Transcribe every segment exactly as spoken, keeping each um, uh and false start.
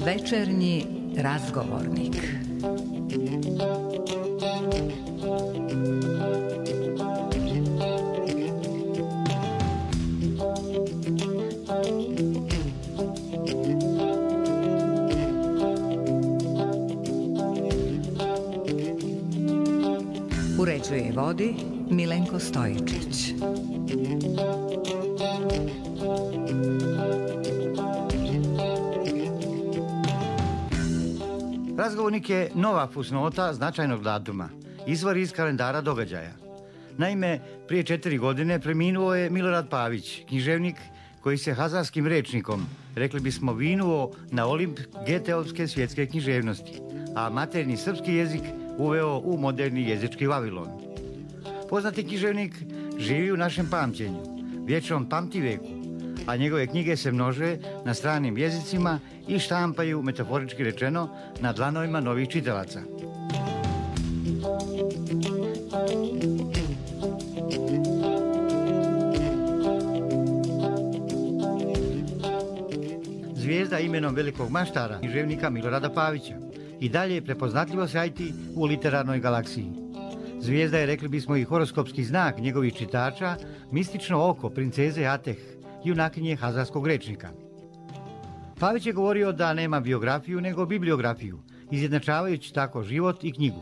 Večernji razgovornik. Uređuje i vodi Milenko Stojičić. Razgovornik je nova fusnota značajnog datuma, izvor iz kalendara događaja. Naime, prije četiri godine preminuo je Milorad Pavić, književnik koji se hazarskim rečnikom, rekli bismo, vinuo na Olimp Geteovske svjetske književnosti, a maternji srpski jezik uveo u moderni jezički Vavilon. Poznati književnik živi u našem pamćenju, vječnom pamtiveku, a njegove knjige se množe na stranim jezicima i štampaju, metaforički rečeno, na dlanovima novih čitalaca. Zvijezda imenom velikog maštara, književnika Milorada Pavića, i dalje je prepoznatljivo sjajiti u literarnoj galaksiji. Zvijezda je, rekli bismo, i horoskopski znak njegovih čitača, mistično oko princeze Ateh, junakinje hazarskog rečnika. Pavić je govorio da nema biografiju nego bibliografiju, izjednačavajući tako život i knjigu.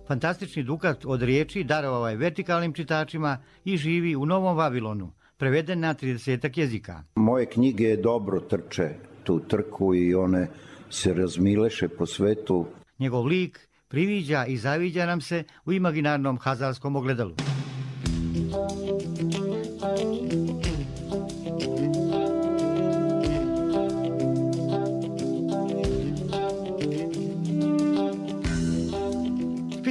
Fantastični dukat od riječi darovao je vertikalnim čitačima i živi u Novom Vavilonu, preveden na tridesetak jezika. Moje knjige dobro trče tu trku i one se razmileše po svetu. Njegov lik priviđa i zaviđa nam se u imaginarnom hazarskom ogledalu.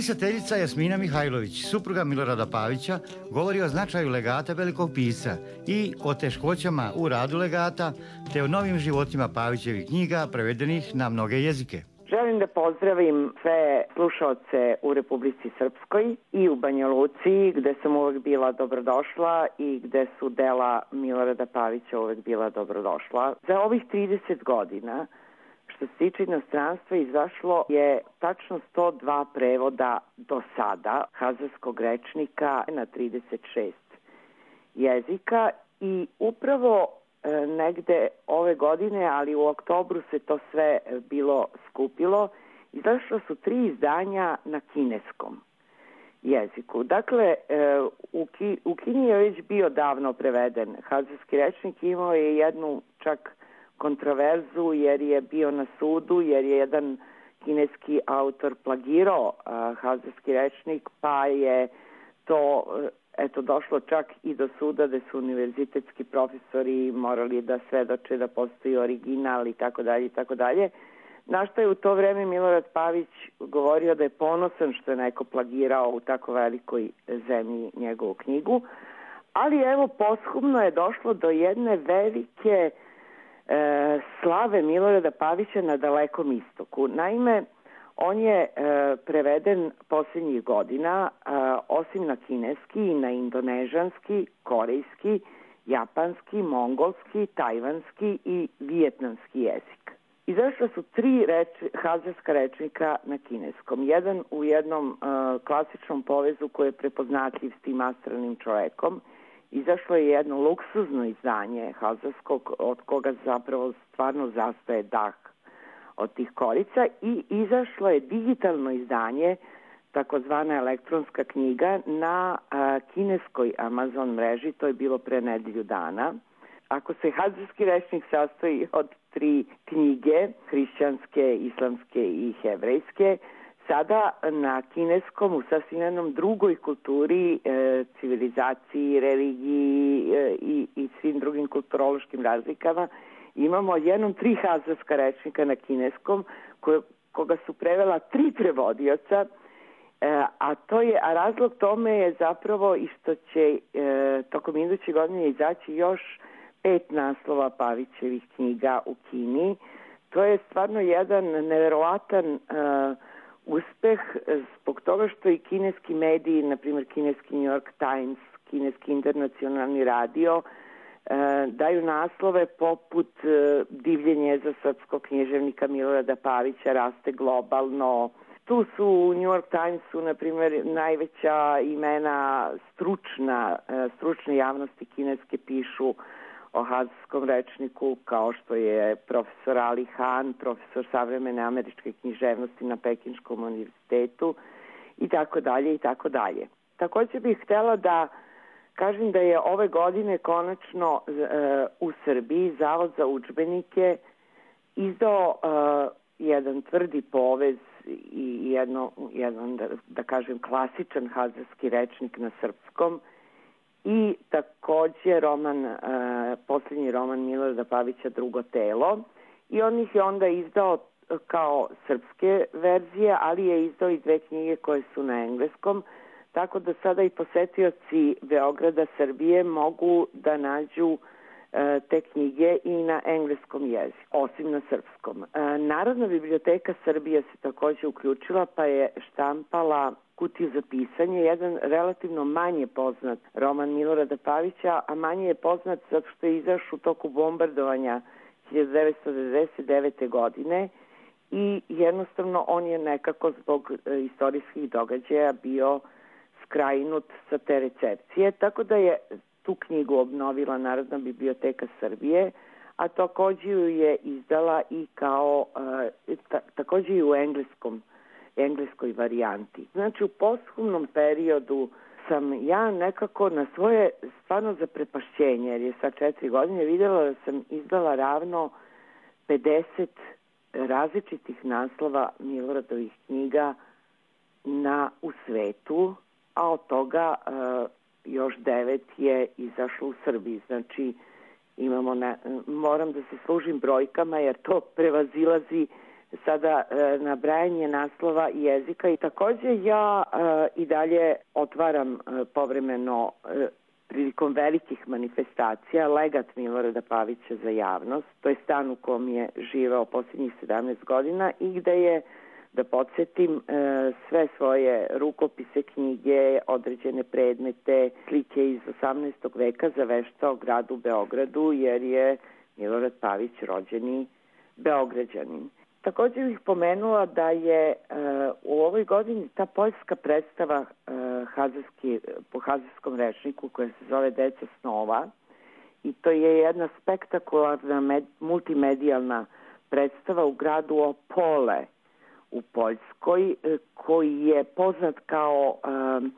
Pisateljica Jasmina Mihajlović, supruga Milorada Pavića, govori o značaju legata velikog pisca i o teškoćama u radu legata, te o novim životima Pavićevih knjiga prevedenih na mnoge jezike. Želim da pozdravim sve slušaoce u Republici Srpskoj i u Banja Luci, gde sam uvek bila dobrodošla i gde su dela Milorada Pavića uvek bila dobrodošla. Za ovih trideset godina, što se tiče inostranstva, izašlo je tačno sto dva prevoda do sada hazarskog rečnika na trideset šest jezika i upravo e, negde ove godine, ali u oktobru se to sve bilo skupilo, izašlo su tri izdanja na kineskom jeziku. Dakle, e, u, Ki, u Kini je već bio davno preveden hazarski rečnik, imao je jednu čak kontroverzu jer je bio na sudu, jer je jedan kineski autor plagirao uh, hazarski rečnik, pa je to uh, eto došlo čak i do suda da su univerzitetski profesori morali da svedoče da postoji original i tako dalje i tako dalje. Na što je u to vreme Milorad Pavić govorio da je ponosan što je neko plagirao u tako velikoj zemlji njegovu knjigu, ali evo posthumno je došlo do jedne velike E, slave Milorada Pavića na Dalekom istoku. Naime, on je e, preveden posljednjih godina, e, osim na kineski i na indonežanski, korejski, japanski, mongolski, tajvanski i vijetnamski jezik. Izašla su tri reč, hazarska rečnika na kineskom. Jedan u jednom e, klasičnom povezu koji je prepoznatljiv s tim astralnim čovekom. Izašlo je jedno luksuzno izdanje hazarskog, od koga zapravo stvarno zastaje dah od tih korica, i izašlo je digitalno izdanje, takozvana elektronska knjiga, na a, kineskoj Amazon mreži. To je bilo pre nedelju dana. Ako se hazarski rečnik sastoji od tri knjige, hrišćanske, islamske i hebrejske, sada na kineskom, u sasvim jednom drugoj kulturi, e, civilizaciji, religiji e, i, i svim drugim kulturološkim razlikama, imamo jednom tri hazarska rečnika na kineskom, koje, koga su prevela tri prevodioca, e, a to je, a razlog tome je zapravo i što će e, tokom iduće godine izaći još pet naslova Pavićevih knjiga u Kini. To je stvarno jedan neverovatan e, uspeh zbog toga što i kineski mediji, na primjer kineski New York Times, kineski internacionalni radio, daju naslove poput Divljenje za srpskog književnika Milorada Pavića raste globalno. Tu su u New York Timesu, na primjer, najveća imena stručna, stručne javnosti kineske pišu o hazijskom rečniku, kao što je profesor Ali Han, profesor savremene američke književnosti na Pekinškom univerzitetu i tako dalje i tako dalje. Također bih htjela da kažem da je ove godine konačno uh, u Srbiji Zavod za udžbenike izdao uh, jedan tvrdi povez i jedno, jedan, da, da kažem, klasičan hazarski rečnik na srpskom i također roman, uh, posljednji roman Milorada Pavića Drugo telo, i on ih je onda izdao kao srpske verzije, ali je izdao i dve knjige koje su na engleskom, tako da sada i posetioci Beograda, Srbije mogu da nađu e, te knjige i na engleskom jeziku, osim na srpskom. E, Narodna biblioteka Srbije se također uključila, pa je štampala Kutiju za pisanje, jedan relativno manje poznat roman Milorada Pavića, a manje je poznat zato što je izašao u toku bombardovanja hiljadu devetsto devedeset devete. godine i jednostavno on je nekako zbog e, istorijskih događaja bio skrajnut sa te recepcije, tako da je tu knjigu obnovila Narodna biblioteka Srbije, a također ju je izdala i kao uh, ta, također i u engleskom, engleskoj varijanti. Znači u posthumnom periodu sam ja nekako na svoje stvarno zaprepašćenje, jer je sad četiri godine, vidjela da sam izdala ravno pedeset različitih naslova Miloradovih knjiga na, u svetu, a od toga uh, još devet je izašlo u Srbiji. Znači, imamo na, moram da se služim brojkama jer to prevazilazi sada uh, nabrajanje naslova i jezika. I također ja uh, i dalje otvaram uh, povremeno uh, prilikom velikih manifestacija legat Milorada Pavića za javnost. To je stan u kom je živeo posljednjih sedamnaest godina i gde je, da podsjetim, sve svoje rukopise, knjige, određene predmete, slike iz osamnaestog veka zaveštao gradu Beogradu, jer je Milorad Pavić rođeni Beograđanin. Također bih pomenula da je u ovoj godini ta poljska predstava hazarski, po hazarskom rečniku koja se zove Deca snova, i to je jedna spektakularna med, multimedijalna predstava u gradu Opole u Poljskoj, koji je poznat kao um,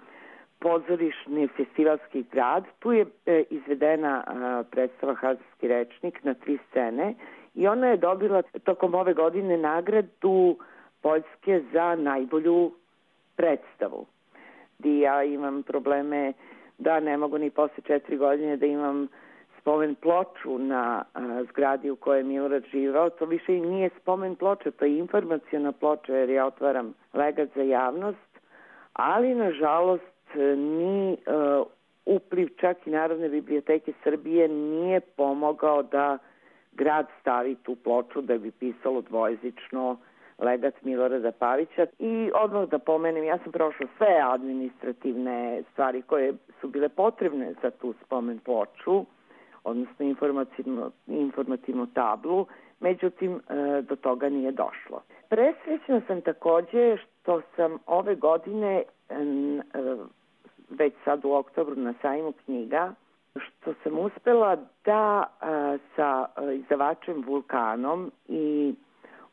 pozorišni festivalski grad. Tu je e, izvedena uh, predstava Hazarski rečnik na tri scene i ona je dobila tokom ove godine nagradu Poljske za najbolju predstavu. Di ja imam probleme da ne mogu ni posle četiri godine da imam spomen ploču na a, zgradi u kojoj je Milorad živao. To više i nije spomen ploča, to je informaciona ploča, jer ja otvaram legat za javnost, ali nažalost ni a, upliv čak i Narodne biblioteke Srbije nije pomogao da grad stavi tu ploču da bi pisalo dvojezično legat Milorada Pavića. I odmah da pomenem, ja sam prošla sve administrativne stvari koje su bile potrebne za tu spomen ploču, odnosno informativnu, informativnu tablu, međutim do toga nije došlo. Presrećna sam također što sam ove godine, već sad u oktobru na sajmu knjiga, što sam uspela da sa izdavačem Vulkanom i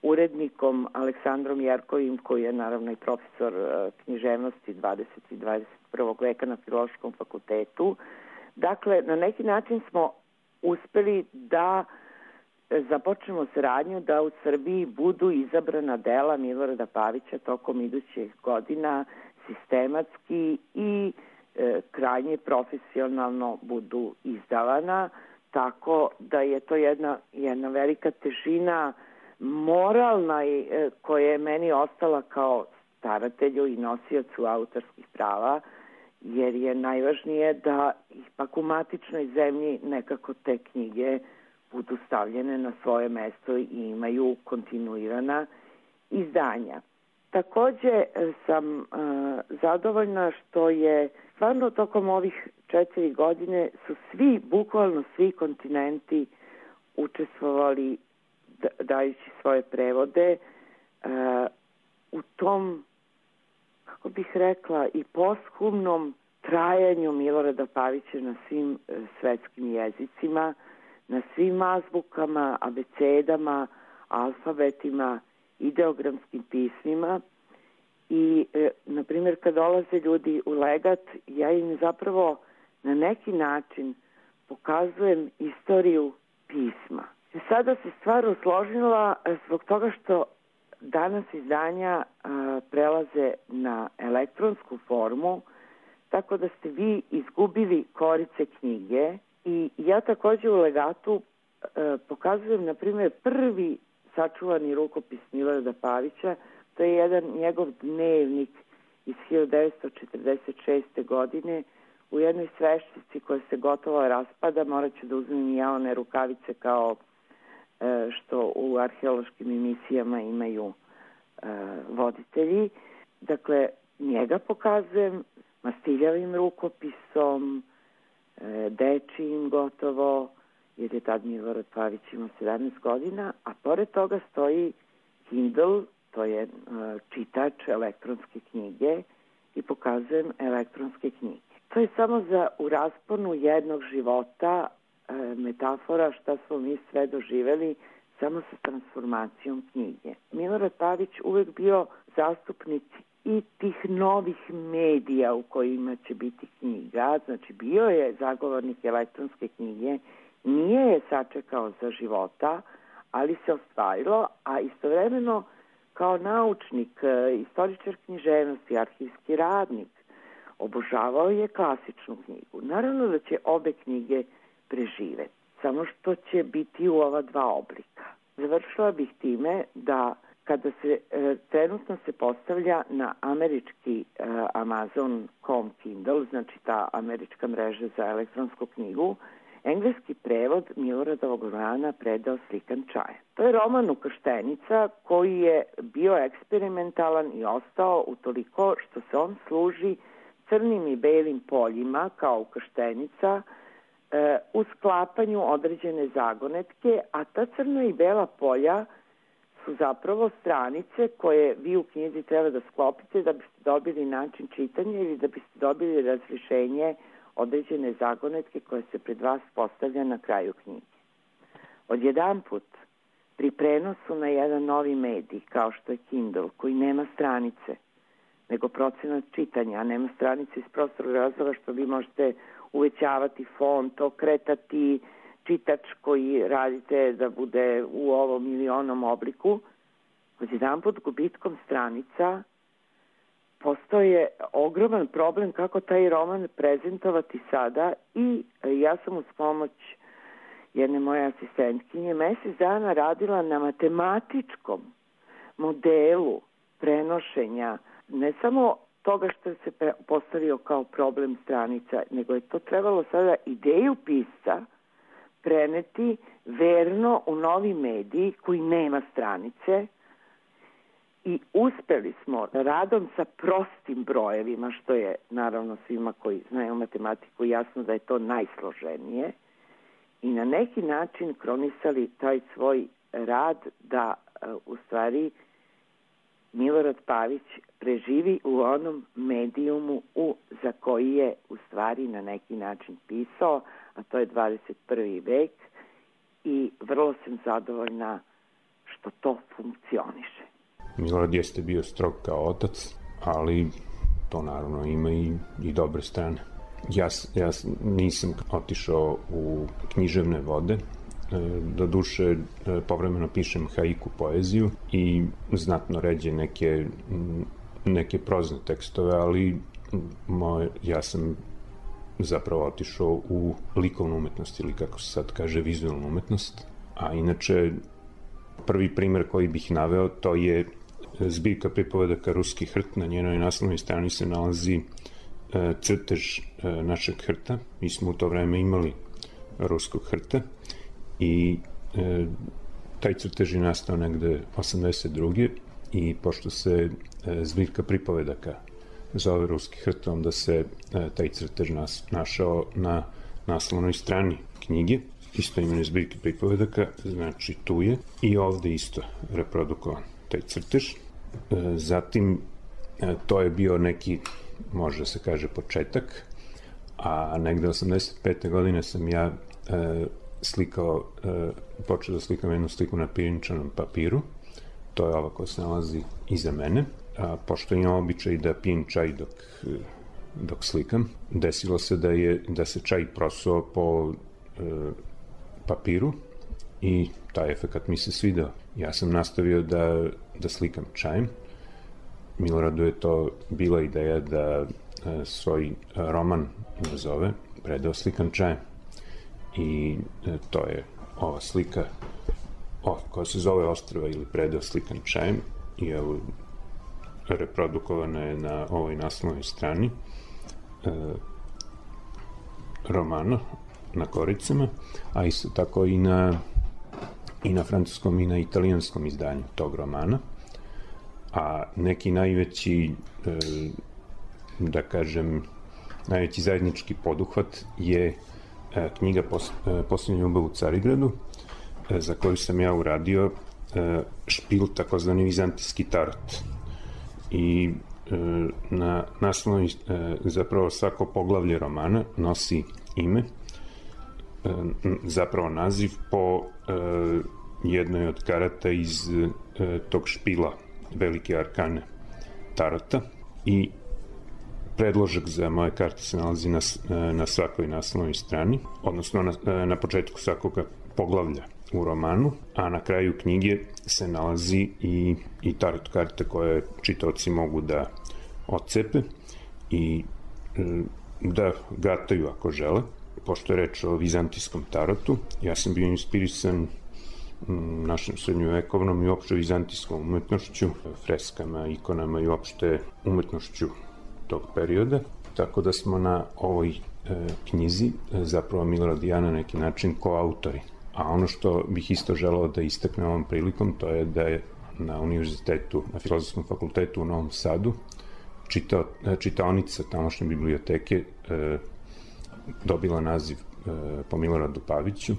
urednikom Aleksandrom Jerkovim, koji je naravno i profesor književnosti dvadesetog i dvadeset prvog veka na Filološkom fakultetu, dakle, na neki način smo uspeli da započnemo saradnju da u Srbiji budu izabrana dela Milorada Pavića tokom idućih godina sistematski i e, krajnje profesionalno budu izdavana, tako da je to jedna, jedna velika težina moralna e, koja je meni ostala kao staratelju i nosiocu autorskih prava, jer je najvažnije da ipak u matičnoj zemlji nekako te knjige budu stavljene na svoje mesto i imaju kontinuirana izdanja. Takođe sam uh, zadovoljna što je stvarno tokom ovih četiri godine su svi, bukvalno svi kontinenti učestvovali dajući svoje prevode uh, u tom, kako bih rekla, i posthumnom trajanju Milorada Pavića na svim uh, svetskim jezicima, na svim azbukama, abecedama, alfabetima, ideogramskim pismima. I, e, na primjer, kad dolaze ljudi u legat, ja im zapravo na neki način pokazujem istoriju pisma. I sada se stvar usložila zbog toga što danas izdanja a, prelaze na elektronsku formu, tako da ste vi izgubili korice knjige. I ja takođe u legatu a, pokazujem, na primjer, prvi sačuvani rukopis Milorada Pavića. To je jedan njegov dnevnik iz hiljadu devetsto četrdeset šeste. godine u jednoj sveščici koja se gotovo raspada. Morat ću da uzmem i ja one rukavice kao e, što u arheološkim emisijama imaju e, voditelji. Dakle, njega pokazujem mastiljavim rukopisom, e, dečijim gotovo, jer je tad Milorad Pavić imao sedamnaest godina, a pored toga stoji Kindle, to je uh, čitač elektronske knjige, i pokazujem elektronske knjige. To je samo za u rasponu jednog života uh, metafora šta smo mi sve doživeli samo sa transformacijom knjige. Milorad Pavić uvek bio zastupnik i tih novih medija u kojima će biti knjiga, znači bio je zagovornik elektronske knjige, nije je sačekao za života, ali se ostvarilo, a istovremeno kao naučnik, istoričar književnosti, arhivski radnik, obožavao je klasičnu knjigu. Naravno da će obe knjige preživeti, samo što će biti u ova dva oblika. Završila bih time da kada se e, trenutno se postavlja na američki e, Amazon dot com Kindle, znači ta američka mreža za elektronsku knjigu, engleski prevod Miloradovog romana Predeo slikan čaja. To je roman Ukrštenica koji je bio eksperimentalan i ostao utoliko što se on služi crnim i belim poljima kao ukrštenica e, u sklapanju određene zagonetke, a ta crna i bela polja su zapravo stranice koje vi u knjizi treba da sklopite da biste dobili način čitanja ili da biste dobili razrješenje određene zagonetke koje se pred vas postavlja na kraju knjige. Odjedanput, pri prenosu na jedan novi medij, kao što je Kindle, koji nema stranice, nego procenat čitanja, a nema stranice iz prostorog razloga što vi možete uvećavati font, okretati čitač koji radite da bude u ovom ili onom obliku, odjedanput gubitkom stranica postoje ogroman problem kako taj roman prezentovati sada i ja sam uz pomoć jedne moje asistentkinje mesec dana radila na matematičkom modelu prenošenja ne samo toga što se postavio kao problem stranica, nego je to trebalo sada ideju pisca preneti verno u novi medij koji nema stranice. I uspeli smo radom sa prostim brojevima, što je naravno svima koji znaju matematiku jasno da je to najsloženije, i na neki način kronisali taj svoj rad da u stvari Milorad Pavić preživi u onom medijumu u, za koji je u stvari na neki način pisao, a to je dvadeset prvi vek, i vrlo sam zadovoljna što to funkcioniše. Milorad jeste bio strog kao otac, ali to naravno ima i, i dobre strane. Ja, ja nisam otišao u književne vode, do duše povremeno pišem haiku poeziju i znatno ređe neke, neke prozne tekstove, ali moj, ja sam zapravo otišao u likovnu umetnost ili kako se sad kaže vizualnu umetnost, a inače prvi primer koji bih naveo to je zbirka pripovedaka Ruski hrt, na njenoj naslovnoj strani se nalazi crtež našeg hrta. Mi smo u to vreme imali ruskog hrta i e, taj crtež je nastao negde osamdeset druge i pošto se zbirka pripovedaka zove Ruski hrt, onda se taj crtež nas, našao na naslovnoj strani knjige, isto imene zbirke pripovedaka, znači tu je i ovde isto reprodukovan taj crtež. Zatim, to je bio neki, može da se kaže, početak, a negde osamdeset pete godine sam ja e, slikao, e, počeo da slikam jednu sliku na pirinčanom papiru, to je ova koja se nalazi iza mene, a pošto imam običaj da pijem čaj dok, dok slikam, desilo se da, je, da se čaj prosuo po e, papiru i taj efekat mi se svidao. Ja sam nastavio da, da slikam čajem. Miloradu je to bila ideja da e, svoj roman nazove Predeo slikan čajem. I e, to je ova slika o, koja se zove Ostrva ili Predeo slikan čajem i evo reprodukovana je na ovoj naslovnoj strani e, romana na koricama, a isto tako i na i na francuskom i na italijanskom izdanju tog romana. A neki najveći, e, da kažem, najveći zajednički poduhvat je e, knjiga Pos, e, Posljednja ljubav u Carigradu, e, za koju sam ja uradio e, špil, takozvani vizantijski tarot. I e, na naslovnoj, e, zapravo svako poglavlje romana nosi ime, e, zapravo naziv po e, jednoj od karata iz e, tog špila Velike arkane tarota i predložak za moje karte se nalazi na, na svakoj naslovnoj strani, odnosno na, na početku svakog poglavlja u romanu, a na kraju knjige se nalazi i, i tarot karte koje čitaoci mogu da odcepe i da gataju ako žele. Pošto je reč o vizantijskom tarotu, ja sam bio inspirisan našem srednjovekovnom i uopšte vizantijskom umetnošću, freskama, ikonama i uopšte umetnošću tog perioda. Tako da smo na ovoj e, knjizi e, zapravo Milorad i ja na neki način koautori. A ono što bih isto želeo da istaknem ovom prilikom, to je da je na univerzitetu, na Filozofskom fakultetu u Novom Sadu, čitao, čitaonica tamošnje biblioteke e, dobila naziv e, po Miloradu Paviću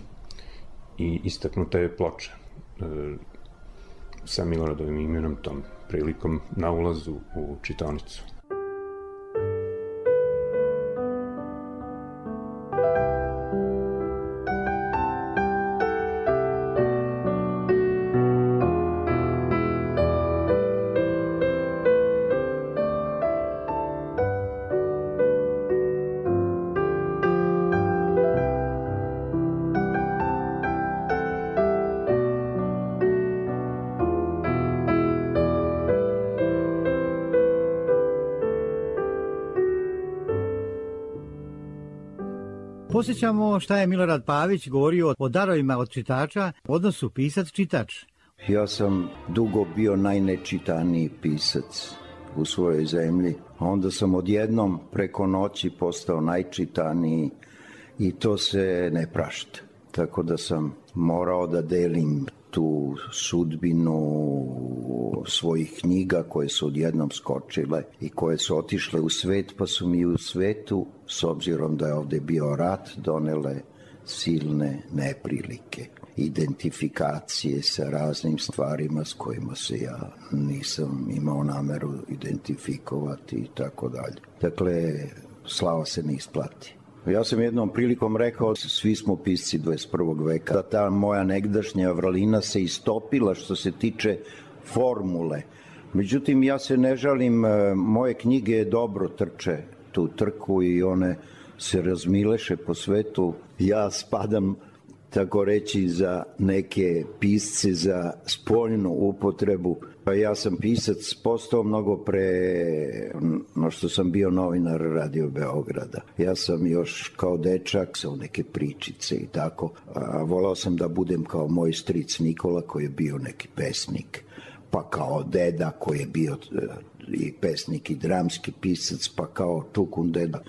i istaknuta je ploča e, sa Miloradovim imenom tom prilikom na ulazu u čitaonicu. Posjećamo šta je Milorad Pavić govorio o darovima od čitača, odnosu pisac-čitač. Ja sam dugo bio najnečitaniji pisac u svojoj zemlji, a onda sam odjednom preko noći postao najčitaniji i to se ne prašta. Tako da sam morao da delim tu sudbinu svojih knjiga koje su odjednom skočile i koje su otišle u svet, pa su mi u svetu, s obzirom da je ovde bio rat, donele silne neprilike, identifikacije sa raznim stvarima s kojima se ja nisam imao nameru identifikovati i tako dalje. Dakle, slava se ne isplati. Ja sam jednom prilikom rekao, svi smo pisci dvadeset prvog veka, da ta moja negdašnja vrlina se istopila što se tiče formule. Međutim, ja se ne žalim, moje knjige dobro trče tu trku i one se razmileše po svetu. Ja spadam, tako reći, za neke pisce za spoljnu upotrebu. Pa ja sam pisac postao mnogo pre no što sam bio novinar Radio Beograda. Ja sam još kao dečak sa neke pričice i tako. A volao sam da budem kao moj stric Nikola koji je bio neki pesnik. Pa kao deda koji je bio i pesnik i dramski pisac, pa kao Čukun deda.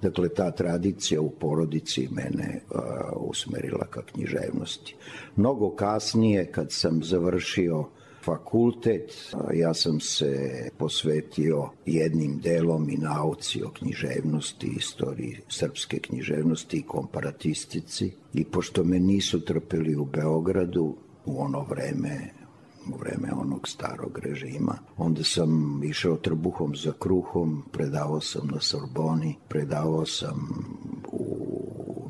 Dakle, ta tradicija u porodici mene uh, usmerila ka književnosti. Mnogo kasnije, kad sam završio fakultet. Ja sam se posvetio jednim delom i nauci o književnosti, istoriji srpske književnosti i komparatistici. I pošto me nisu trpeli u Beogradu u ono vreme, u vreme onog starog režima, onda sam išao trbuhom za kruhom, predavao sam na Sorboni, predavao sam u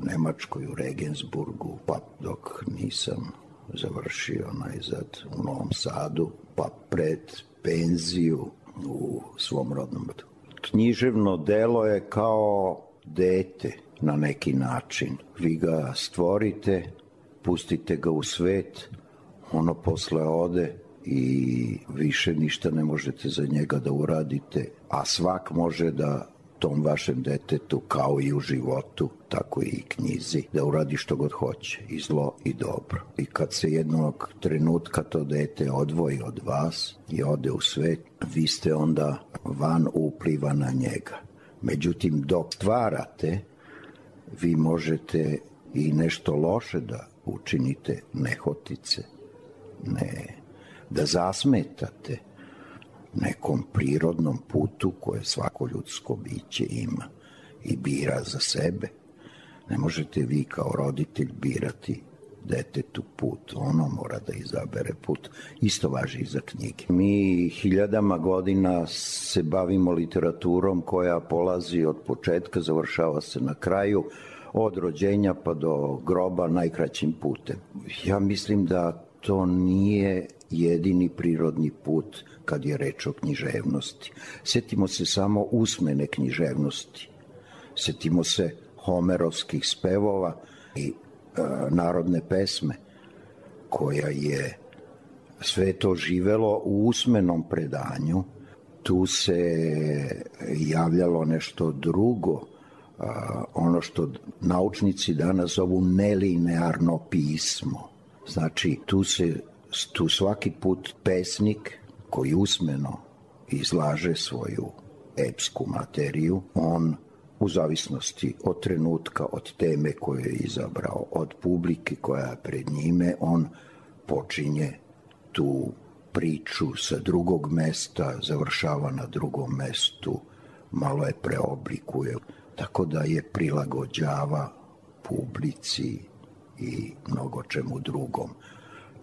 Nemačkoj, u Regensburgu, pa dok nisam završio najzad u Novom Sadu, pa pred penziju u svom rodnom gradu. Književno delo je kao dete na neki način. Vi ga stvorite, pustite ga u svet, ono posle ode i više ništa ne možete za njega da uradite, a svak može da tom vašem detetu, kao i u životu, tako i knjizi, da uradi što god hoće, i zlo i dobro. I kad se jednog trenutka to dete odvoji od vas i ode u svet, vi ste onda van upliva na njega. Međutim, dok stvarate, vi možete i nešto loše da učinite, nehotice, ne, da zasmetate nekom prirodnom putu koje svako ljudsko biće ima i bira za sebe. Ne možete vi kao roditelj birati detetu put, ono mora da izabere put. Isto važi i za knjige. Mi hiljadama godina se bavimo literaturom koja polazi od početka, završava se na kraju, od rođenja pa do groba najkraćim putem. Ja mislim da to nije jedini prirodni put kad je reč o književnosti. Sjetimo se samo usmene književnosti. Sjetimo se homerovskih spevova i e, narodne pesme, koja je sve to živelo u usmenom predanju. Tu se javljalo nešto drugo, a, ono što naučnici danas zovu nelinearno pismo. Znači, tu se tu svaki put pesnik koji usmeno izlaže svoju epsku materiju, on u zavisnosti od trenutka, od teme koju je izabrao, od publike koja je pred njime, on počinje tu priču sa drugog mesta, završava na drugom mestu, malo je preoblikuje, tako da je prilagođava publici i mnogo čemu drugom.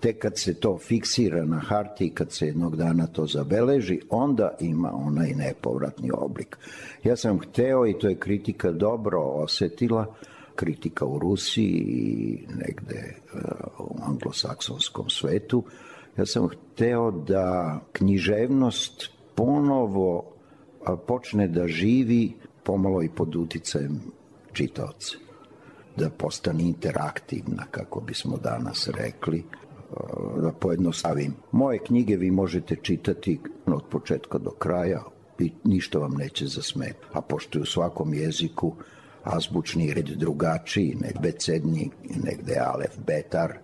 Tek kad se to fiksira na hartiji, kad se jednog dana to zabeleži, onda ima onaj nepovratni oblik. Ja sam hteo, i to je kritika dobro osetila, kritika u Rusiji i negde u anglosaksonskom svetu, ja sam hteo da književnost ponovo počne da živi pomalo i pod uticajem čitaoca, da postane interaktivna, kako bismo danas rekli. Da pojednostavim, moje knjige vi možete čitati od početka do kraja i ništa vam neće zasmetati. A pošto je u svakom jeziku azbučni red drugačiji, negde becednji, negde alef betar,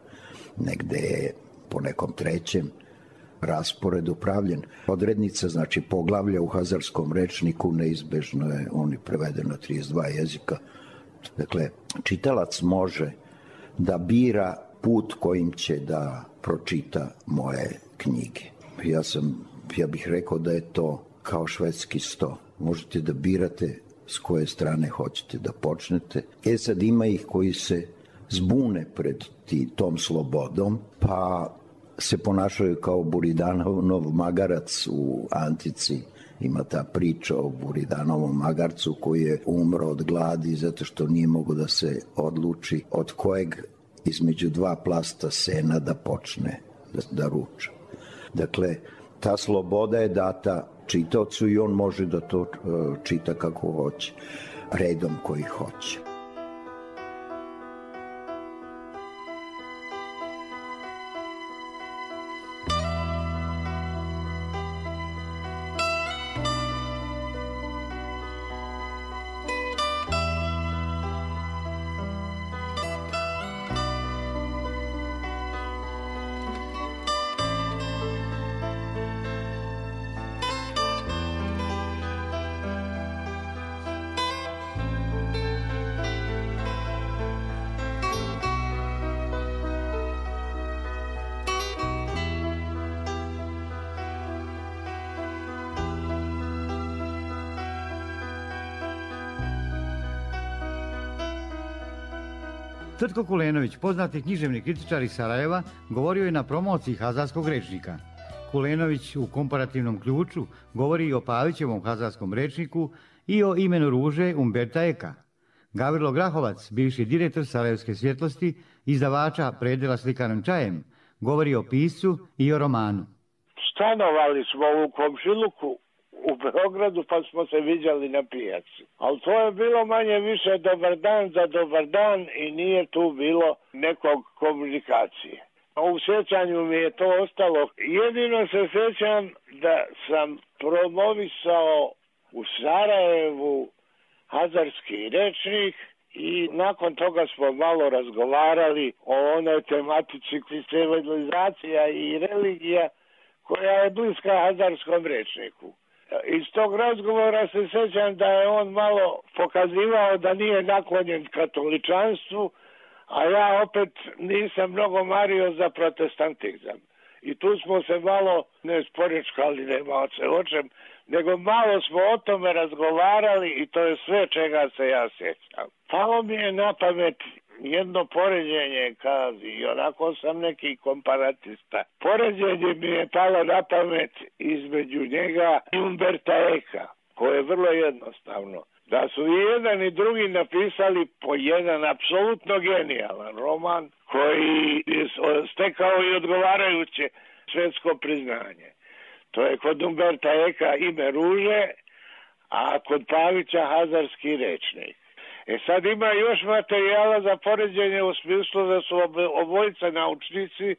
negde je po nekom trećem rasporedu pravljen. Odrednica, znači poglavlja u hazarskom rečniku, neizbežno je, on je preveden na trideset dva jezika. Dakle, čitalac može da bira put kojim će da pročita moje knjige. Ja sam, ja bih rekao da je to kao švedski sto. Možete da birate s koje strane hoćete da počnete. E sad ima ih koji se zbune pred ti, tom slobodom, pa se ponašaju kao Buridanov magarac u antici. Ima ta priča o Buridanovom magarcu koji je umro od gladi zato što nije mogo da se odluči od kojeg između dva plasta sena da počne da, da ruča. Dakle, ta sloboda je data čitaocu i on može da to uh, čita kako hoće, redom koji hoće. Tvrtko Kulenović, poznati književni kritičar iz Sarajeva, govorio je na promociji hazarskog rečnika. Kulenović u komparativnom ključu govori i o Pavićevom hazarskom rečniku i o imenu ruže Umberta Eka. Gavrilo Grahovac, bivši direktor Sarajevske svjetlosti, izdavača predela Slikanom čajem, govori o piscu i o romanu. Stanovali smo u komšiluku u Beogradu, pa smo se viđali na pijaci. Ali to je bilo manje više dobar dan za dobar dan i nije tu bilo nekog komunikacije. U sjećanju mi je to ostalo. Jedino se sjećam da sam promovisao u Sarajevu hazarski rečnik i nakon toga smo malo razgovarali o onoj tematici civilizacija i religija koja je bliska hazarskom rečniku. Iz tog razgovora se sjećam da je on malo pokazivao da nije naklonjen katoličanstvu, a ja opet nisam mnogo mario za protestantizam. I tu smo se malo ne sporečkali, nema se o čem, nego malo smo o tome razgovarali i to je sve čega se ja sjećam. Palo mi je na pamet jedno poređenje, kazi, i onako sam neki komparatista. Poređenje mi je palo na pamet između njega i Umberta Eka, koje je vrlo jednostavno. Da su i jedan i drugi napisali po jedan apsolutno genijalan roman koji je stekao i odgovarajuće svjetsko priznanje. To je kod Umberta Eka Ime ruže, a kod Pavića hazarski rečnik. E sad ima još materijala za poređenje u smislu da su obojica naučnici,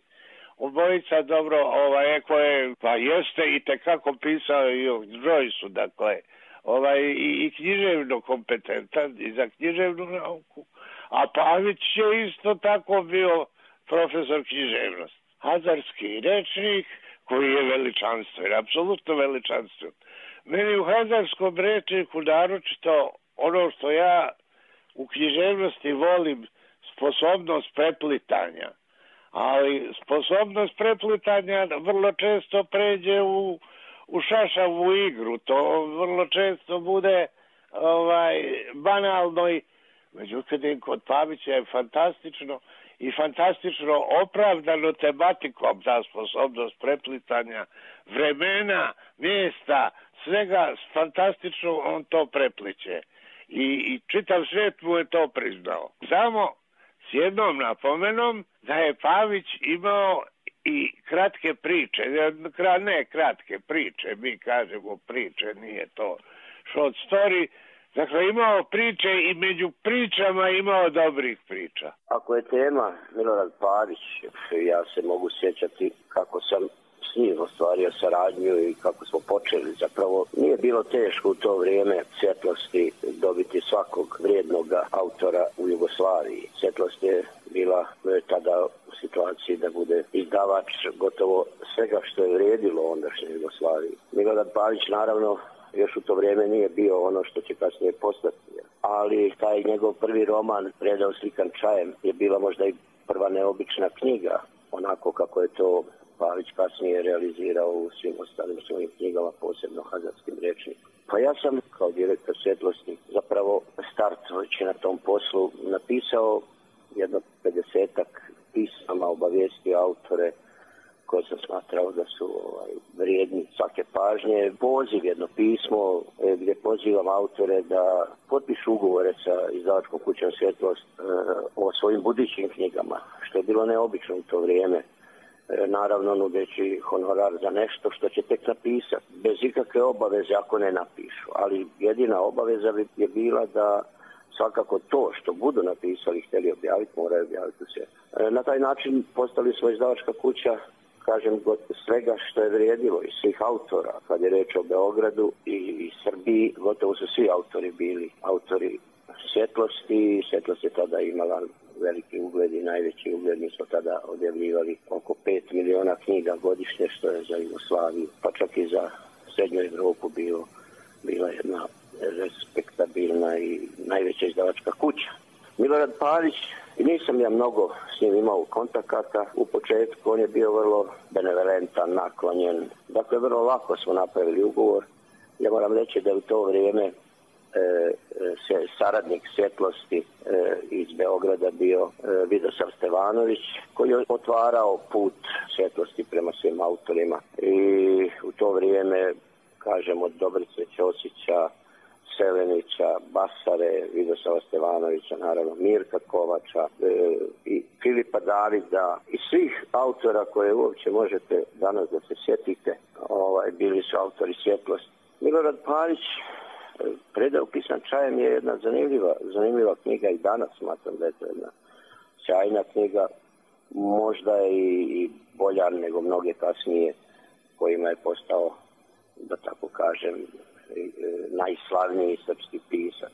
obojica dobro, ovaj, Eko je, pa jeste i tekako pisao i o Joyceu, dakle, ovaj, i, i književno kompetentan i za književnu nauku, a Pavić je isto tako bio profesor književnosti. Hazarski rečnik koji je veličanstven, apsolutno veličanstven. Meni u hazarskom rečniku naročito ono što ja u književnosti volim, sposobnost preplitanja, ali sposobnost preplitanja vrlo često pređe u u šašavu igru, to vrlo često bude ovaj, banalno i međutim kod Pavića je fantastično i fantastično opravdano tematikom ta sposobnost preplitanja vremena, mjesta, svega fantastično on to prepliče i, i čitav svijet mu je to priznao. Samo s jednom napomenom da je Pavić imao i kratke priče, ne kratke priče, mi kažemo priče, nije to short story, dakle imao priče i među pričama imao dobrih priča. Ako je tema Milorad Pavić, ja se mogu sjećati kako sam s njim ostvario saradnju i kako smo počeli. Zapravo nije bilo teško u to vrijeme Svjetlosti dobiti svakog vrijednog autora u Jugoslaviji. Svjetlost je bila tada u situaciji da bude izdavač gotovo svega što je vrijedilo ondašnjoj Jugoslaviji. Milorad Pavić naravno još u to vrijeme nije bio ono što će kasnije postati. Ali taj njegov prvi roman Predao slikan čajem je bila možda i prva neobična knjiga, onako kako je to Pavić kasnije realizirao u svim ostalim svojim knjigama, posebno hazarskim rečnikom. Pa ja sam kao direktor Svjetlosti zapravo startujući na tom poslu napisao jedno pedesetak pisama, obavijestio autore koje sam smatrao da su ovaj, vrijedni svake pažnje. Poziv, jedno pismo gdje pozivam autore da potpišu ugovore sa izdavačkom kućom Svjetlost e, o svojim budućim knjigama, što je bilo neobično u to vrijeme. Naravno nudeći honorar za nešto što će tek napisati, bez ikakve obaveze ako ne napišu. Ali jedina obaveza bi je bila da svakako to što budu napisali i htjeli objaviti, moraju objaviti sve. Na taj način postali smo izdavačka kuća, kažem, svega što je vrijedilo i svih autora. Kad je reč o Beogradu i, i Srbiji, gotovo su svi autori bili autori Svjetlosti. Svjetlost je tada imala veliki ugled i najveći ugled. Mi smo tada objavljivali oko pet miliona knjiga godišnje, što je za Jugoslaviju, pa čak i za Srednju Evropu bilo, bila jedna respektabilna i najveća izdavačka kuća. Milorad Pavić, nisam ja mnogo s njim imao kontakata u početku, on je bio vrlo benevolentan, naklonjen. Dakle, vrlo lako smo napravili ugovor. Ja moram reći da u to vrijeme se saradnik svjetlosti iz Beograda bio Vidosav Stevanović, koji je otvarao put svjetlosti prema svim autorima. I u to vrijeme, kažem, od Dobrice Ćosića, Selenića, Basare, Vidosava Stevanovića, naravno Mirka Kovača e, i Filipa Davida i svih autora koje uopće možete danas da se sjetite, ovaj, bili su autori svjetlosti. Milorad Pavić, Predao pisan čajem je jedna zanimljiva, zanimljiva knjiga i danas smatram da je to jedna sjajna knjiga, možda i, i bolja nego mnoge kasnije kojima je postao, da tako kažem, najslavniji srpski pisac.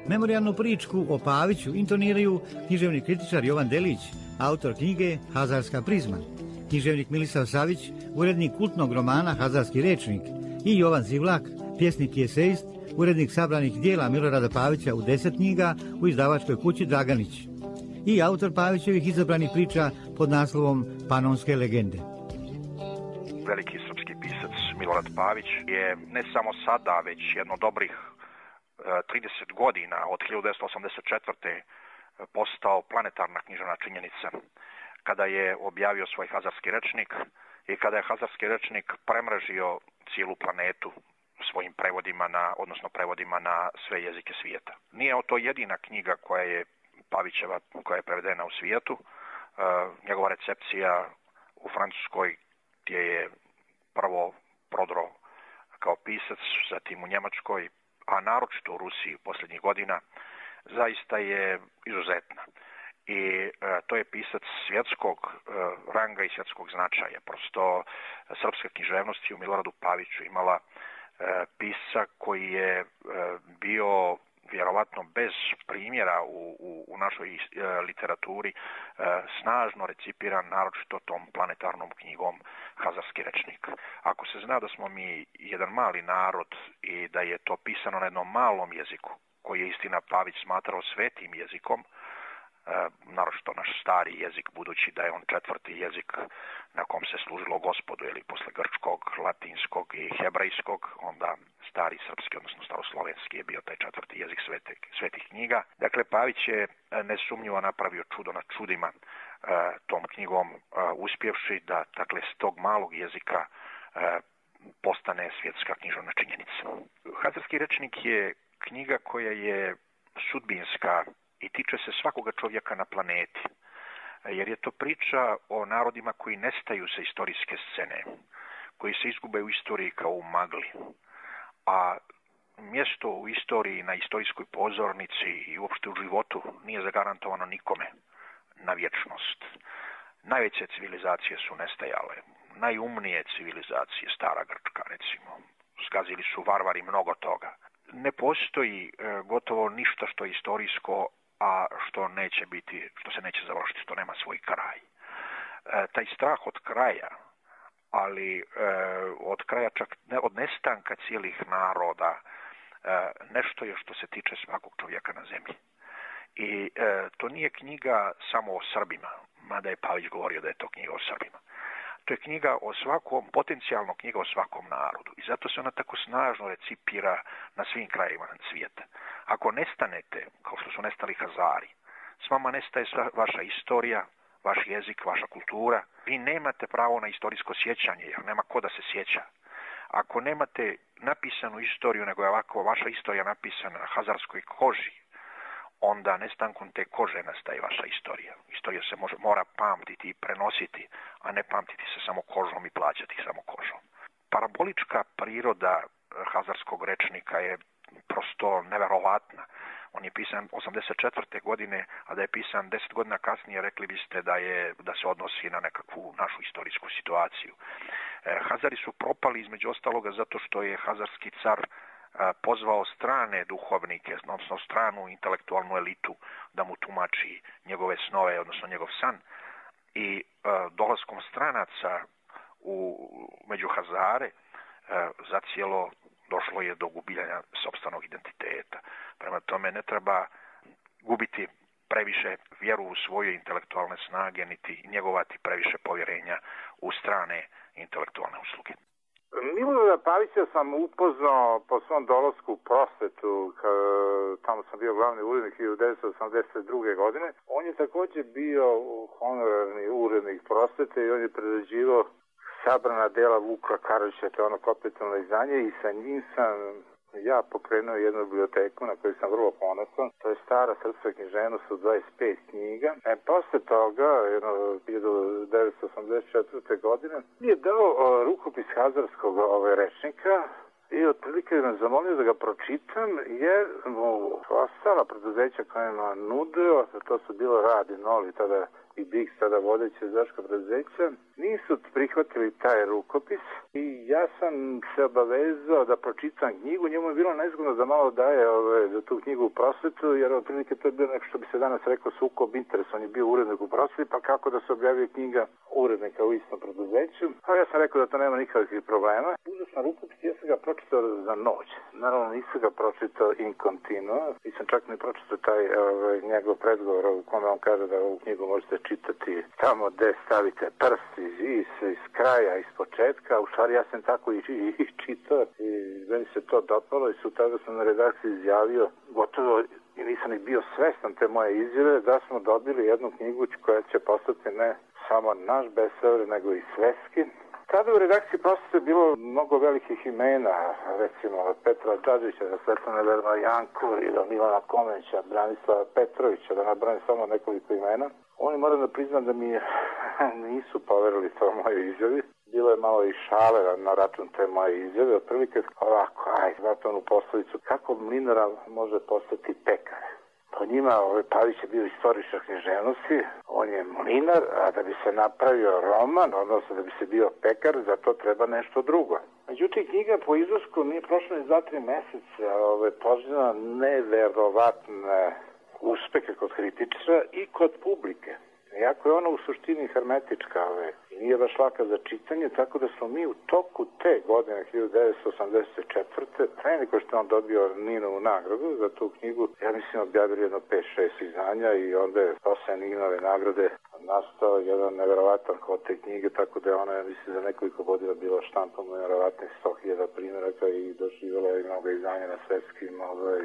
Memorijalnu pričku o Paviću intoniraju književni kritičar Jovan Delić, autor knjige Hazarska prizma, književnik Milisav Savić, urednik kultnog romana Hazarski rečnik, i Jovan Zivlak, pjesnik i esejist, urednik sabranih dijela Milorada Pavića u deset knjiga u izdavačkoj kući Draganić, i autor Pavićevih izabranih priča pod naslovom Panonske legende. Veliki srpski pisac Milorad Pavić je ne samo sada, već jedno dobrih trideset godina od hiljadu devetsto osamdeset četvrte postao planetarna književna činjenica kada je objavio svoj Hazarski rečnik i kada je Hazarski rečnik premrežio cijelu planetu svojim prevodima na, odnosno prevodima na sve jezike svijeta. Nije to jedina knjiga koja je Pavićeva, koja je prevedena u svijetu. E, njegova recepcija u Francuskoj gdje je prvo prodro kao pisac, zatim u Njemačkoj, a naročito u Rusiji posljednjih godina, zaista je izuzetna. I e, to je pisac svjetskog e, ranga i svjetskog značaja. Prosto srpska književnost je u Miloradu Paviću imala e, pisca koji je e, bio vjerovatno bez primjera u, u, u našoj e, literaturi e, snažno recipiran, naročito tom planetarnom knjigom Hazarski rečnik. Ako se zna da smo mi jedan mali narod i da je to pisano na jednom malom jeziku, koji je istina Pavić smatrao svetim jezikom, e, naročito naš stari jezik, budući da je on četvrti jezik na kom se služilo gospodu, ili posle grčkog, latinskog i hebrejskog, onda stari srpski, odnosno staroslovenski je bio taj četvrti jezik svetih, svetih knjiga. Dakle, Pavić je nesumnjivo napravio čudo na čudima e, tom knjigom, e, uspjevši da, dakle, s tog malog jezika e, postane svjetska književna činjenica. Hazarski rečnik je knjiga koja je sudbinska i tiče se svakoga čovjeka na planeti, jer je to priča o narodima koji nestaju sa istorijske scene, koji se izgube u istoriji kao u magli, a mjesto u istoriji, na istorijskoj pozornici i uopšte u životu nije zagarantovano nikome na vječnost. Najveće civilizacije su nestajale, najumnije civilizacije, stara Grčka recimo, zgazili su varvari mnogo toga. Ne postoji e, gotovo ništa što je istorijsko, a što neće biti, što se neće završiti, što nema svoj kraj. E, taj strah od kraja, ali e, od kraja čak ne, od nestanka cijelih naroda, e, nešto je što se tiče svakog čovjeka na zemlji. I e, to nije knjiga samo o Srbima, mada je Pavić govorio da je to knjiga o Srbima. To je knjiga o svakom, potencijalno knjiga o svakom narodu. I zato se ona tako snažno recipira na svim krajevima svijeta. Ako nestanete, kao što su nestali Hazari, s vama nestaje sva vaša istorija, vaš jezik, vaša kultura. Vi nemate pravo na istorijsko sjećanje, jer nema ko da se sjeća. Ako nemate napisanu istoriju, nego je ovako vaša istorija napisana na hazarskoj koži, onda nestankom te kože nastaje vaša istorija. Istorija se može, mora pamtiti i prenositi, a ne pamtiti se samo kožom i plaćati samo kožom. Parabolička priroda hazarskog rečnika je prosto neverovatna. On je pisan osamdeset četvrte godine, a da je pisan deset godina kasnije, rekli biste da je da se odnosi na nekakvu našu istorijsku situaciju. E, Hazari su propali između ostaloga zato što je hazarski car a, pozvao strane duhovnike, odnosno stranu intelektualnu elitu da mu tumači njegove snove, odnosno njegov san. I a, dolaskom stranaca u, među Hazare a, zacijelo došlo je do gubljenja sopstvenog identiteta. Prema tome ne treba gubiti previše vjeru u svoje intelektualne snage, niti njegovati previše povjerenja u strane intelektualne usluge. Milorada Pavića sam upoznao po svom dolasku u prosvetu, tamo sam bio glavni urednik hiljadu devetsto osamdeset druge. godine. On je također bio honorarni urednik prosvete i on je prerađivao sabrana dela Vuka Karadžića, to je ono kapitalno izdanje, i sa njim sam ja pokrenuo jednu biblioteku na koju sam vrlo ponosan. To je stara srpska književnost od dvadeset pet knjiga. E, posle toga, jedno hiljadu devetsto osamdeset četvrte. godine, mi je dao o, rukopis hazarskog ovaj, rečnika i otprilike me zamolio da ga pročitam, jer mu ostala preduzeća kojima nudio, to su bilo Radi, Noli, tada i Bix, tada vodeće izdaška preduzeća, nisu prihvatili taj rukopis i ja sam se obavezao da pročitam knjigu. Njemu je bilo nezgodno da malo daje ove, za tu knjigu u prosvetu, jer otprilike to je bilo nešto što bi se danas rekao sukob interesa. On je bio urednik u prosveti, pa kako da se objavio knjiga urednika u istom preduzeću? Pa ja sam rekao da to nema nikakvih problema. Uzeo sam rukopis i ja sam ga pročitao za noć. Naravno nisam ga pročitao in continuo. Nisam čak ni pročitao taj ove, njegov predgovor u kome on kaže da ovu knjigu možete čitati tamo gde stavite prst iz, iz, iz kraja, iz početka. U stvari ja sam tako i, i, i čitao i meni se to dopalo i su tada sam na redakciji izjavio, gotovo i nisam ni bio svestan te moje izjave, da smo dobili jednu knjigu koja će postati ne samo naš bestseller, nego i svetski. Tada u redakciji prosvete je bilo mnogo velikih imena, recimo od Petra Đađića, da Svetlana Verma Janku i do Milana Komenića, Branislava Petrovića, da nabrani samo nekoliko imena. Oni moram da priznam da mi nisu poverili to moje izjavi. Bilo je malo i šale na, na račun te moje izjave. Otprilike ovako, aj, znate onu poslovicu, kako mlinara može postati pekar? Po njima ovaj Pavić je bio istoričar književnosti, on je mlinar, a da bi se napravio roman, odnosno da bi se bio pekar, za to treba nešto drugo. Međutim, knjiga po izlasku nije prošla ni za tri meseca, ovaj, poželjena neverovatne uspehe kod kritičara i kod publike. Iako je ona u suštini hermetička ove, i nije baš laka za čitanje, tako da smo mi u toku te godine hiljadu devetsto osamdeset četvrte. pre nego što on dobio Ninovu nagradu za tu knjigu, ja mislim objavili jedno pet šest izdanja i onda je posle Ninove nagrade nastao jedan neverovatan hod te knjige, tako da je ona, ja mislim, za nekoliko godina bila štampom neverovatnih sto hiljada primjeraka i doživjela je mnogo izdanja na svetskim ovaj,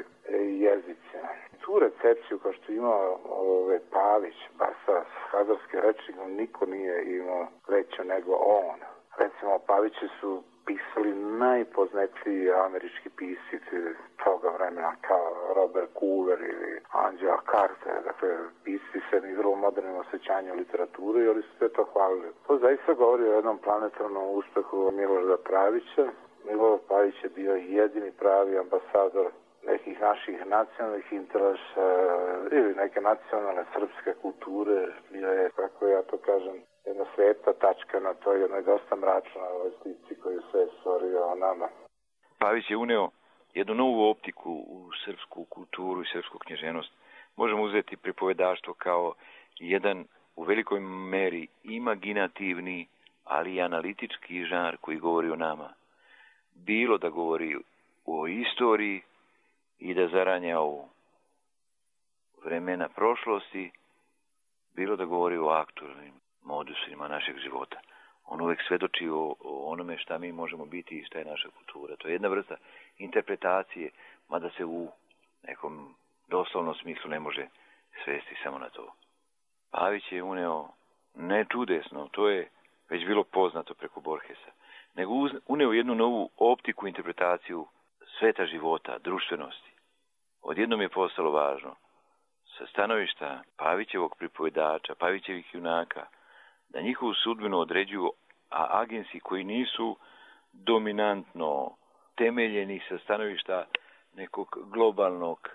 jezicima. Tu recepciju, kao što je imao ove, Pavić, Basas, hazarski rečnik, niko nije imao veću nego on. Recimo, Paviće su pisali najpoznatiji američki pisci toga vremena, kao Robert Coover ili Angela Carter, dakle, pisci se ni vrlo modernim osjećanjem literaturi, ali su sve to hvalili. To zaista govori o jednom planetarnom uspehu Milorada Pavića. Milorad Pavić je bio jedini pravi ambasador nekih naših nacionalnih interesa ili neke nacionalne srpske kulture. Bio je, kako ja to kažem, jedna sveta tačka na toj jednoj dosta mračnoj ovoj slici koju se stvorio o nama. Pavić je uneo jednu novu optiku u srpsku kulturu i srpsku književnost. Možemo uzeti pripovedaštvo kao jedan u velikoj meri imaginativni, ali i analitički žanr koji govori o nama. Bilo da govori o istoriji i da zaranja o vremena prošlosti, bilo da govori o aktualnim modusima našeg života. On uvek svedoči o, o onome šta mi možemo biti i šta je naša kultura. To je jedna vrsta interpretacije, mada se u nekom doslovnom smislu ne može svesti samo na to. Pavić je uneo ne čudesno, to je već bilo poznato preko Borgesa, nego uneo jednu novu optiku, interpretaciju sveta života, društvenosti. Odjednom je postalo važno sa stanovišta Pavićevog pripovedača, Pavićevih junaka, da njihovu sudbinu određuju a agensi koji nisu dominantno temeljeni sa stanovišta nekog globalnog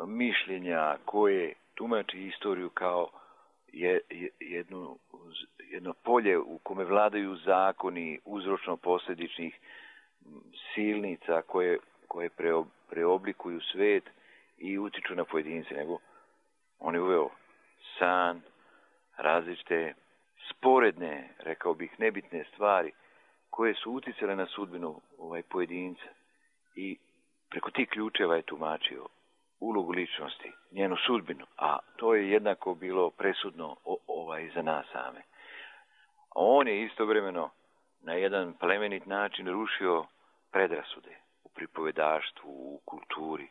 mišljenja koje tumači istoriju kao je, je, jednu, jedno polje u kome vladaju zakoni uzročno-posljedičnih silnica koje, koje preob, preoblikuju svet i utiču na pojedince, nego on je uveo san, različite sporedne, rekao bih, nebitne stvari koje su uticale na sudbinu ovaj pojedinca i preko tih ključeva je tumačio ulogu ličnosti, njenu sudbinu, a to je jednako bilo presudno o, ovaj za nas same. On je istovremeno na jedan plemenit način rušio predrasude u pripovedaštvu, u kulturi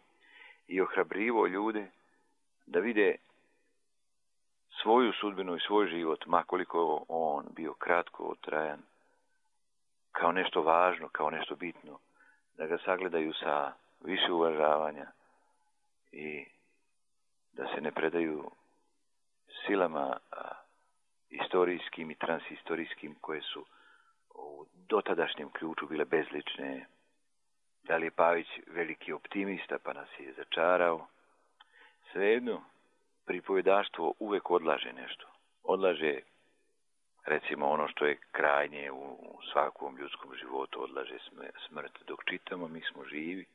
i ohrabrivo ljude da vide svoju sudbinu i svoj život, makoliko on bio kratko trajan, kao nešto važno, kao nešto bitno, da ga sagledaju sa više uvažavanja i da se ne predaju silama a, istorijskim i transhistorijskim koje su u dotadašnjem ključu bile bezlične. Da li je Pavić veliki optimista pa nas je začarao? Svejedno, pripovedaštvo uvek odlaže nešto. Odlaže, recimo, ono što je krajnje u svakom ljudskom životu, odlaže smrt. Dok čitamo, mi smo živi.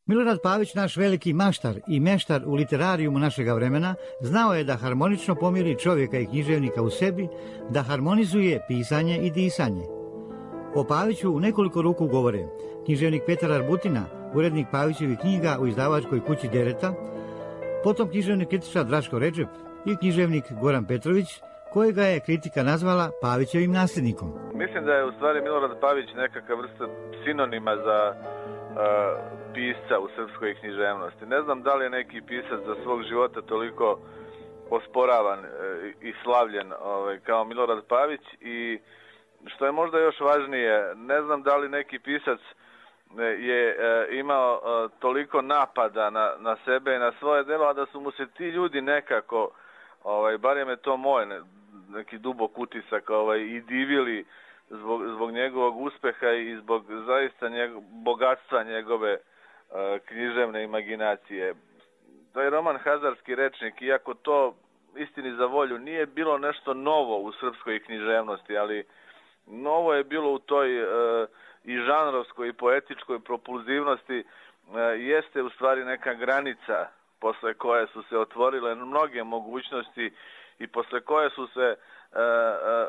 Milorad Pavić, naš veliki maštar i meštar u literarijumu našega vremena, znao je da harmonično pomiri čovjeka i književnika u sebi, da harmonizuje pisanje i disanje. O Paviću u nekoliko ruku govore književnik Petar Arbutina, urednik Pavićevih knjiga u izdavačkoj kući Dereta, potom književnik kritičar Draško Redžep i književnik Goran Petrović, kojega je kritika nazvala Pavićevim nasljednikom. Mislim da je u stvari Milorad Pavić nekakav vrsta sinonima za uh, pisca u srpskoj književnosti. Ne znam da li je neki pisac za svog života toliko osporavan uh, i slavljen ovaj, kao Milorad Pavić i što je možda još važnije, ne znam da li neki pisac je uh, imao uh, toliko napada na, na sebe i na svoje delo, a da su mu se ti ljudi nekako, ovaj, barem je to moj ne, neki dubok utisak, ovaj, i divili zbog, zbog njegovog uspeha i zbog zaista njegov, bogatstva njegove uh, književne imaginacije. To je roman Hazarski rečnik, iako to istini za volju nije bilo nešto novo u srpskoj književnosti, ali novo je bilo u toj uh, i žanrovskoj i poetičkoj propulzivnosti, uh, jeste u stvari neka granica posle koje su se otvorile mnoge mogućnosti i posle koje su se uh,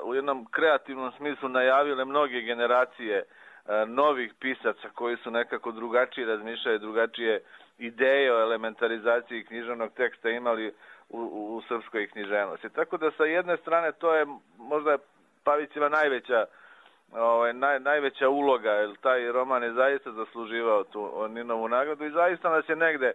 uh, u jednom kreativnom smislu najavile mnoge generacije uh, novih pisaca koji su nekako drugačije razmišljali, drugačije ideje o elementarizaciji književnog teksta imali u, u, u srpskoj književnosti. Tako da sa jedne strane to je možda Pavićeva najveća ovaj, naj, najveća uloga, jer taj roman je zaista zasluživao tu Ninovu nagradu i zaista nas je negde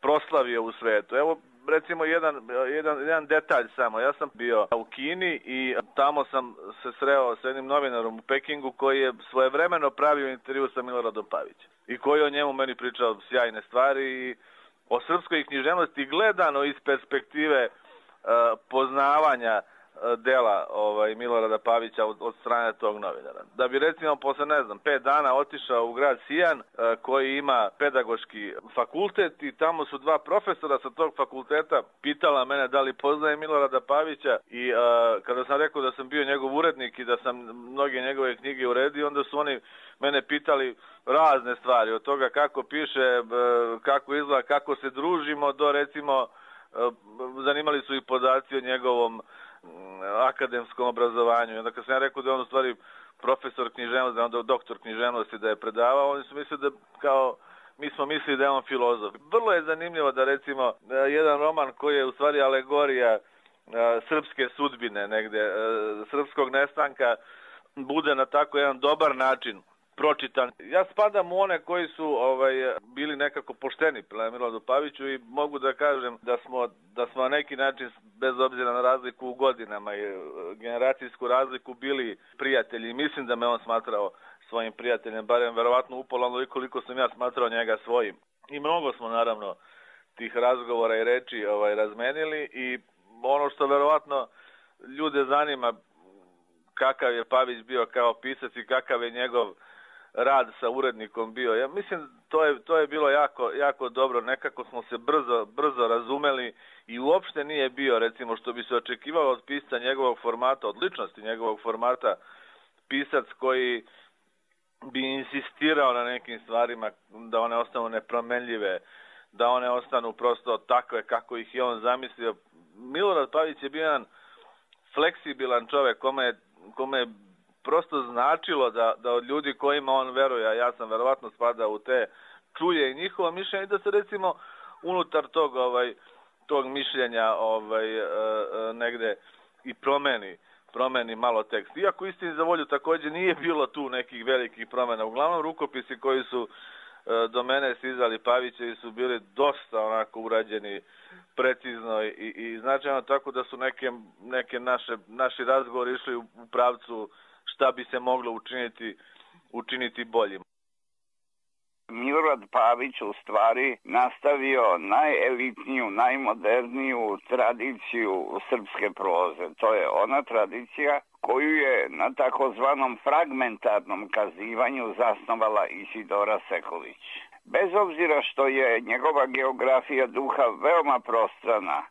proslavio u svetu. Evo, recimo, jedan, jedan, jedan detalj samo. Ja sam bio u Kini i tamo sam se sreo sa jednim novinarom u Pekingu koji je svojevremeno pravio intervju sa Miloradom Pavićem i koji o njemu meni pričao sjajne stvari i o srpskoj književnosti gledano iz perspektive uh, poznavanja dela ovaj, Milorada Pavića od, od strane tog novinara. Da bi recimo posle, ne znam, pet dana otišao u grad Sijan e, koji ima pedagoški fakultet i tamo su dva profesora sa tog fakulteta pitala mene da li poznaje Milorada Pavića i e, kada sam rekao da sam bio njegov urednik i da sam mnoge njegove knjige uredio, onda su oni mene pitali razne stvari, od toga kako piše, e, kako izgleda, kako se družimo, do recimo e, zanimali su i podaci o njegovom akademskom obrazovanju. I onda kad sam ja rekao da je on u stvari profesor književnosti, da je on doktor književnosti, da je predavao, oni su mislili da kao mi smo mislili da je on filozof. Vrlo je zanimljivo da recimo jedan roman koji je u stvari alegorija srpske sudbine negde, srpskog nestanka, bude na tako jedan dobar način pročitan. Ja spadam u one koji su ovaj, bili nekako pošteni prema Miloradu Paviću i mogu da kažem da smo, da smo na neki način, bez obzira na razliku u godinama i generacijsku razliku, bili prijatelji. Mislim da me on smatrao svojim prijateljem, barem verovatno upola i koliko sam ja smatrao njega svojim. I mnogo smo naravno tih razgovora i reči ovaj, razmenili i ono što verovatno ljude zanima kakav je Pavić bio kao pisac i kakav je njegov rad sa urednikom bio. Ja mislim to to je, to je bilo jako, jako dobro. Nekako smo se brzo, brzo razumeli i uopšte nije bio, recimo, što bi se očekivalo od pisca njegovog formata, od ličnosti njegovog formata, pisac koji bi insistirao na nekim stvarima da one ostanu nepromenljive, da one ostanu prosto takve kako ih je on zamislio. Milorad Pavić je bio jedan fleksibilan čovek kome, kome je prosto značilo da, da od ljudi kojima on veruje, a ja sam verovatno spadao u te, čuje i njihovo mišljenje i da se recimo unutar tog, ovaj, tog mišljenja ovaj, e, e, negde i promeni, promeni malo tekst. Iako istini za volju takođe nije bilo tu nekih velikih promena. Uglavnom rukopisi koji su e, do mene stizali Pavićevi su bili dosta onako urađeni precizno i, i značajno, tako da su neke, neke naše, naši razgovori išli u, u pravcu šta bi se moglo učiniti, učiniti boljim. Milorad Pavić u stvari nastavio najelitniju, najmoderniju tradiciju srpske proze. To je ona tradicija koju je na takozvanom fragmentarnom kazivanju zasnovala Isidora Sekulić. Bez obzira što je njegova geografija duha veoma prostrana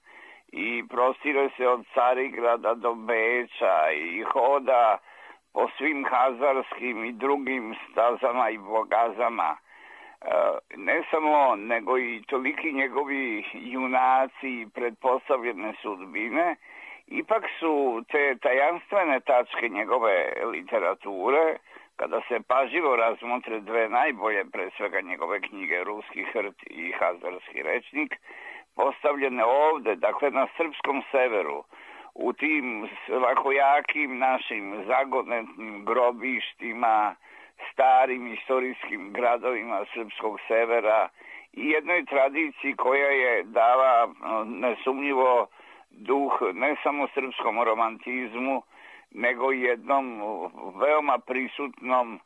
i prostire se od Carigrada do Beča i hoda po svim hazarskim i drugim stazama i bogazama, ne samo on, nego i toliki njegovi junaci i pretpostavljene sudbine, ipak su te tajanstvene tačke njegove literature, kada se pažljivo razmotre dve najbolje, pre svega njegove knjige Ruski hrt i Hazarski rečnik, postavljene ovde, dakle na srpskom severu, u tim lakojakim našim zagonetnim grobištima, starim istorijskim gradovima srpskog severa i jednoj tradiciji koja je dala nesumnjivo duh ne samo srpskom romantizmu, nego i jednom veoma prisutnom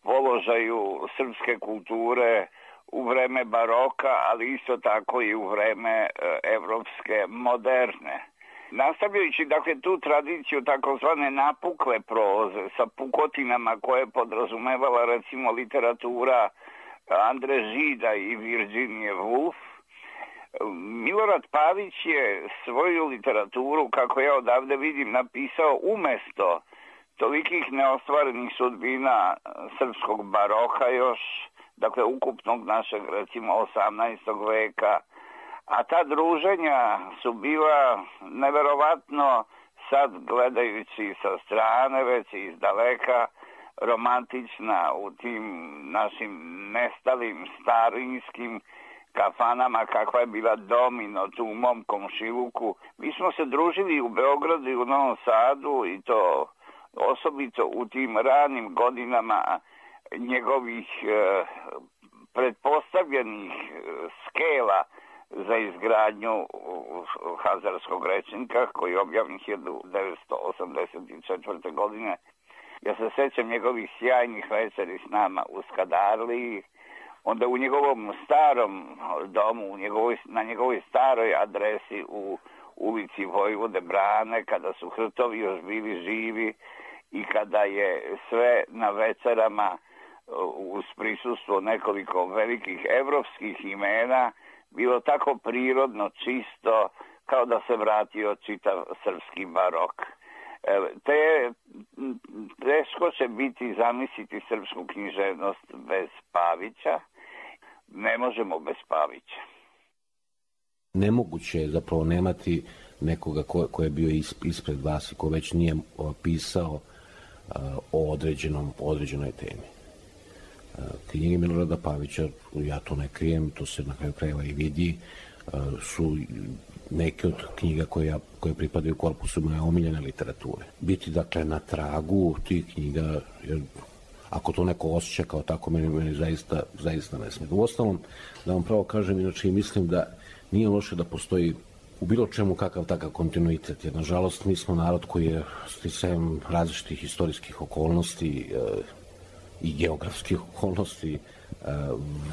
položaju srpske kulture u vreme baroka, ali isto tako i u vreme evropske moderne. Nastavljajući dakle tu tradiciju takozvane napukle proze sa pukotinama koje podrazumevala recimo literatura Andre Žida i Virginije Woolf, Milorad Pavić je svoju literaturu, kako ja odavde vidim, napisao umesto tolikih neostvarenih sudbina srpskog baroka još, dakle ukupnog našeg recimo osamnaestog veka, a ta druženja su bila neverovatno, sad gledajući sa strane, već iz daleka, romantična u tim našim nestalim starinskim kafanama kakva je bila Domino tu u mom komšiluku. Mi smo se družili u Beogradu i u Novom Sadu i to osobito u tim ranim godinama njegovih eh, pretpostavljenih skela za izgradnju Hazarskog rečnika koji je objavljen hiljadu devetsto osamdeset četvrte. godine. Ja se sećam njegovih sjajnih večeri s nama u Skadarliji, onda u njegovom starom domu, u njegovoj, na njegovoj staroj adresi u ulici Vojvode Brane, kada su Hrtovi još bili živi i kada je sve na večerama uz prisustvo nekoliko velikih evropskih imena bilo tako prirodno, čisto, kao da se vratio čitav srpski barok. Te, teško će biti zamisliti srpsku književnost bez Pavića. Ne možemo bez Pavića. Nemoguće je zapravo nemati nekoga ko, ko je bio ispred vas i ko već nije pisao o određenom, određenoj temi. Knjige Milorada Pavića, ja to ne krijem, to se na kraju krajeva i vidi, su neke od knjiga koje, koje pripadaju korpusu moje omiljene literature. Biti, dakle, na tragu tih knjiga, jer ako to neko osjeća kao tako, meni, meni zaista, zaista ne smije. U ostalom, da vam pravo kažem, inače mislim da nije loše da postoji u bilo čemu kakav takav kontinuitet, jer nažalost mi smo narod koji je sticajem različitih istorijskih okolnosti e, i geografskih okolnosti e,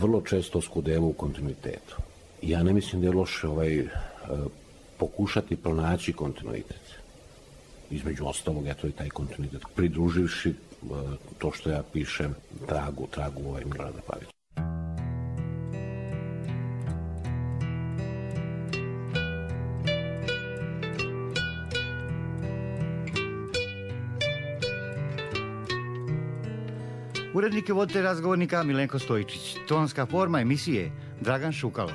vrlo često skudeva u kontinuitetu. Ja ne mislim da je loše ovaj, e, pokušati pronaći kontinuitet. Između ostalog, eto i taj kontinuitet, pridruživši e, to što ja pišem tragu, tragu ovaj Milorada Pavića. Urednik je voditelj razgovornika Milenko Stojičić. Tonska forma emisije Dragan Šukalo.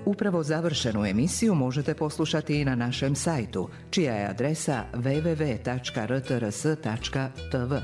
Upravo završenu emisiju možete poslušati i na našem sajtu, čija je adresa w w w tačka r t r s tačka t v.